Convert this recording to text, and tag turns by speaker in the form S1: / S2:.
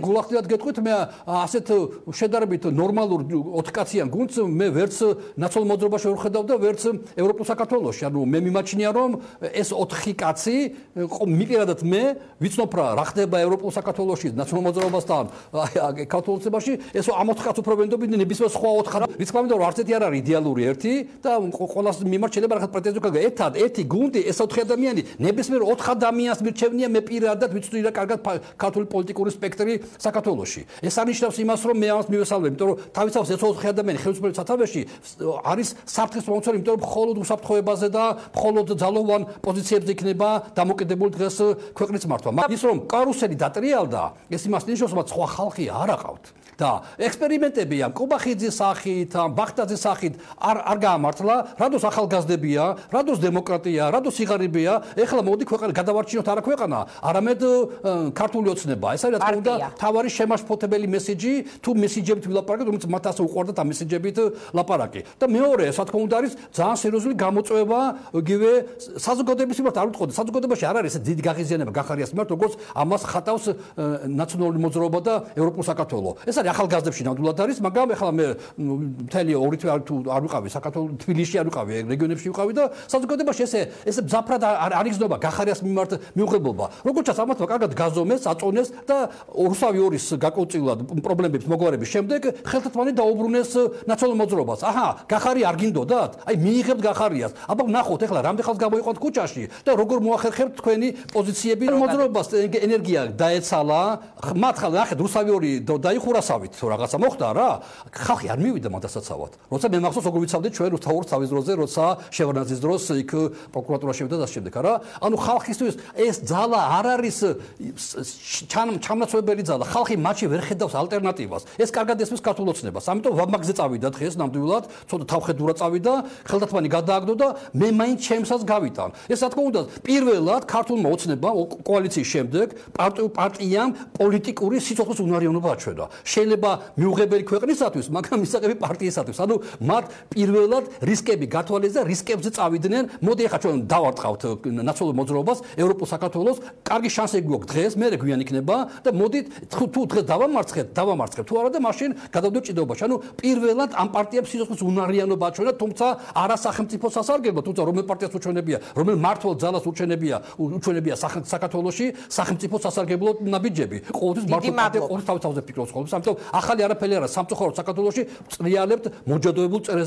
S1: გულახდილად გეტყვით მე ასეთ შედარებით ნორმალურ 4 კაციან გუნდს მე ვერც ნაცვალ მოძრაობაში ვერ ხედავ და ვერც ევროპულ საქართველოში. ანუ მე მიმაჩნია რომ ეს 4 კაცი მიყირადათ მე ვიცნობ რა ხდება ევროპულ საქართველოში ნაცვალ მოძრაობასთან ქართულოცებაში ეს ამ 4 კაცს უფრო ვენდობდნენ ნებისმიერ სხვა 4 რის თქმა უნდა რომ არც ერთი არ არის იდეალური ერთი და ყოველას მიმართ შეიძლება რაღაც პრეტენზია გაქვს ერთი გუნდი ეს 4 ადამიანი ნებისმიერ 4 ადამიანს მირჩევნია მე პირადად ვიცნობ რა კარგად ქართული პოლიტიკური სპექტრი საქართველოში. ეს არნიშნავს იმას, რომ მე ამას მივესალმებ, იმიტომ რომ თავისთავად ეს 4 ადამიანი ხელისუფლების სათავეში არის საფრთხის მომცველი, იმიტომ რომ მხოლოდ უსაფრთხოებაზე და მხოლოდ ძალოვან პოზიციებზე იქნება დამოკიდებული დღეს ქვეყნის მართვა. ის რომ კარუსელი დატრიალდა, ეს იმას ნიშნავს, რომ სხვა ხალხი არ აყავთ. და ექსპერიმენტები ამ კობახიძის სახით, ამ ბახტაძის სახით არ გაამართლა, რადოს ახალგაზრდებია, რადოს დემოკრატია, რადოს სიღარიბეა, ეხლა მოდი ქვეყანა გადავარჩინოთ არა ქვეყანა, არამედ ქართული ოცნება. ეს არის რა თქმა უნდა თავარი შემაშფოთებელი მესიჯი, თუ მესიჯებით ვილაპარაკეთ, რომელიც მათ ასე უყვარდათ ამ მესიჯებით ლაპარაკი. და მეორე, რა თქმა უნდა არის ძალიან სერიოზული გამოწვევა იგივე საზოგადოების მიმართ არ ვიტყოდი, საზოგადოებაში არ არის ეს დიდი გაღიზიანება გახარიას მიმართ, როგორც ამას ხატავს ნაციონალური მოძრაობა და ევროპულ საქართველო. ეს არის ახალგაზრდებში ნამდვილად არის, მაგრამ ეხლა მე მთელი 2 თვე არ ვიყავი საქართველოს თბილისში არ ვიყავი, რეგიონებში ვიყავი და საზოგადოებაში ესე მძაფრად არ იგრძნობა გახარიას მიმართ მიუღებობა. როგორც ჩანს ამათმა კარგად გაზომეს, აწონეს და რუსავი ორის გაკოწილად პრობლემების მოგვარების შემდეგ ხელთათმანი დაუბრუნეს ნაცვალ მოძრაობას. აჰა, გახარი არ გინდოდათ? აი მიიღებთ გახარიას. აბა ნახოთ ეხლა რამდენ ხალხს გამოიყვანთ ქუჩაში და როგორ მოახერხებთ თქვენი პოზიციები მოძრაობას ენერგია დაეცალა. მათ ხალხი ნახეთ რუსავი ორი დაიხურასავით რაღაცა მოხდა რა. ხალხი არ მივიდა მათასაცავად. როცა მე მახსოვს როგორ ვიცავდით ჩვენ რუსთავის თავის დროზე, როცა შევარდნაძის დროს იქ პროკურატურა შევიდა და შემდეგ რა. ანუ ხალხისთვის ეს ძალა არ არის ჩამნაცვლებელი ძალა. ხალხი მათში ვერ ხედავს ალტერნატივას. ეს კარგად ესმის ქართულ ოცნებას. ამიტომ ვაბმაგზე წავიდა დღეს ნამდვილად, ცოტა თავხედურა წავიდა, ხელთათმანი გადააგდო და მე მაინც ჩემსაც გავიტან. ეს რა თქმა უნდა პირველად ქართულმა ოცნებამ კოალიციის შემდეგ პარტიამ პოლიტიკური სიცოცხლის უნარიანობა აჩვენა. შეიძლება მიუღებელი ქვეყნისათვის, მაგრამ მისაღები პარტიისათვის. ანუ მათ პირველად რისკები გათვალეს და რისკებზე წავიდნენ. მოდი ახლა ჩვენ დავარტყავთ ნაცვალ მოძრაობას, ევროპულ საქართველოს, კარგი შანსი გვაქვს დღეს, მე გვიან იქნება და მოდით თუ დღეს დავამარცხებთ თუ არა და მაშინ გადავდოთ ჭიდაობაში. ანუ პირველად ამ პარტიებს სიცოცხლის უნარიანობა აჩვენა, თუმცა არა სახელმწიფო სასარგებლო, თუმცა რომელ პარტიას უჩვენებია, რომელ მართლ ძალას უჩვენებია საქართველოში სახელმწიფო სასარგებლო ნაბიჯები. ყოველთვის მართლ პარტია ყოველთვის თავზე ფიქრობს ხოლმე. ამიტომ ახალი არაფერი არა, სამწუხაროდ საქართველოში წრიალებთ მოჯადოებულ წერეს